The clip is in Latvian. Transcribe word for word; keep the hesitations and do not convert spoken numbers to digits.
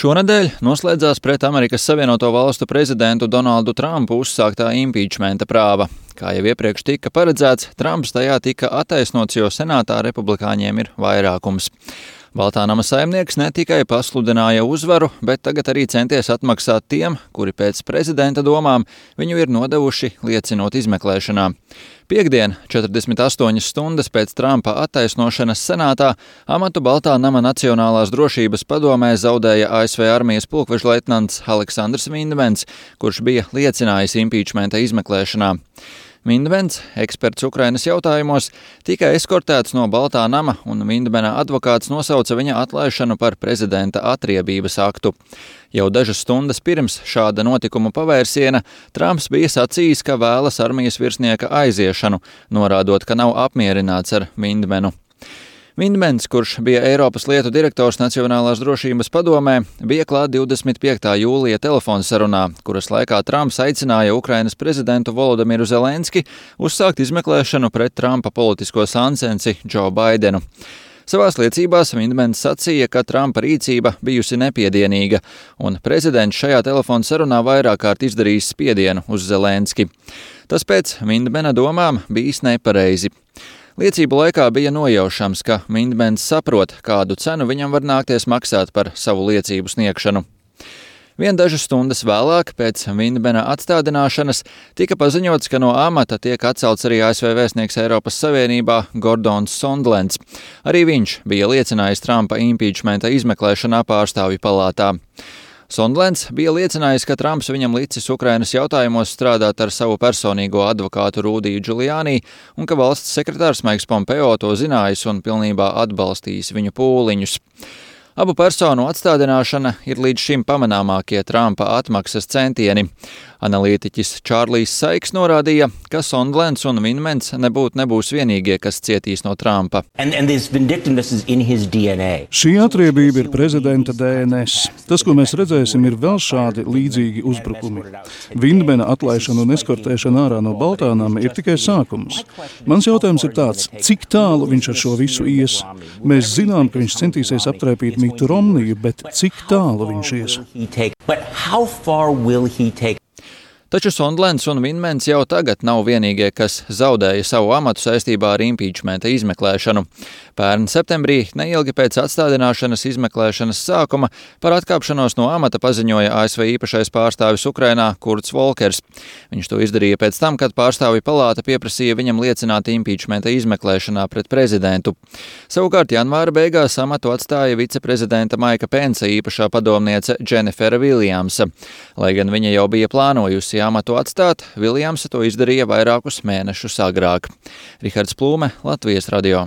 Šonedēļ noslēdzās pret Amerikas Savienoto Valstu prezidentu Donaldu Trumpu uzsāktā impīčmenta prāva. Kā jau iepriekš tika paredzēts, Trumps tajā tika attaisnots, jo senātā republikāņiem ir vairākums. Baltā nama saimnieks ne tikai pasludināja uzvaru, bet tagad arī centies atmaksāt tiem, kuri pēc prezidenta domām viņu ir nodevuši liecinot izmeklēšanā. Piektdien, četrdesmit astoņas stundas pēc Trumpa attaisnošanas senātā, amatu Baltā nama Nacionālās drošības padomē zaudēja A S V armijas pulkvežleitnants Aleksandrs Vindmens, kurš bija liecinājis impīčmenta izmeklēšanā. Vindmens, eksperts Ukrainas jautājumos, tika eskortēts no Baltā nama, un Vindmena advokāts nosauca viņa atlaišanu par prezidenta atriebības aktu. Jau dažas stundas pirms šāda notikuma pavērsiena Trumps bija sacījis, ka vēlas armijas virsnieka aiziešanu, norādot, ka nav apmierināts ar Vindmenu. Vindmens, kurš bija Eiropas lietu direktors Nacionālās drošības padomē, bija klāt divdesmit piektā jūlija telefonsarunā, kuras laikā Trumps aicināja Ukrainas prezidentu Volodimiru Zelenski uzsākt izmeklēšanu pret Trumpa politisko sansensi Džo Baidenu. Savās liecībās Vindmens sacīja, ka Trumpa rīcība bijusi nepiedienīga, un prezidents šajā telefonsarunā vairāk kārt izdarījis spiedienu uz Zelenski. Tas pēc Vindmena domām bijis nepareizi. Liecību laikā bija nojaušams, ka Vindmens saprot, kādu cenu viņam var nākties maksāt par savu liecību sniegšanu. Vien dažas stundas vēlāk, pēc Vindmena atstādināšanas, tika paziņots, ka no amata tiek atcelts arī A S V vēstnieks Eiropas Savienībā Gordons Sondlands. Arī viņš bija liecinājis Trumpa impīčmenta izmeklēšanā pārstāvju palātā. Sondlands bija liecinājis, ka Trumps viņam licis Ukrainas jautājumos strādāt ar savu personīgo advokātu Rudiju Giuliani un ka valsts sekretārs Maiks Pompeo to zinājis un pilnībā atbalstījis viņu pūliņus. Abu personu atstādināšana ir līdz šim pamanāmākie Trumpa atmaksas centieni. Analītiķis Čārlijs Saiks norādīja, ka Sondlands un Vindmens nebūtu nebūs vienīgie, kas cietīs no Trumpa. And, and Šī atriebība ir prezidenta D N S. Tas, ko mēs redzēsim, ir vēl šādi līdzīgi uzbrukumi. Vindmena atlaišana un eskortēšana ārā no Baltā nama ir tikai sākums. Mans jautājums ir tāds, cik tālu viņš ar šo visu ies? Mēs zinām, ka viņš centīsies aptraipīt Mitu Romniju, bet cik tālu viņš ies? Taču Sondlands un Vindmens jau tagad nav vienīgie, kas zaudēja savu amatu saistībā ar impīčmenta izmeklēšanu. Pērn septembrī, neilgi pēc atstādināšanas izmeklēšanas sākuma, par atkāpšanos no amata paziņoja A S V īpašais pārstāvis Ukrainā Kurts Volkers. Viņš to izdarīja pēc tam, kad pārstāvju palāta pieprasīja viņam liecināt impīčmenta izmeklēšanā pret prezidentu. Savukārt janvāra beigās amatu atstāja viceprezidenta Maika Pensa īpašā padomniece Dženifera Viljamsa. Lai gan viņa jau bija plānojusi amatu atstāt, Viljamsa to izdarīja vairākus mēnešus agrāk. Rihards Plūme, Latvijas radio.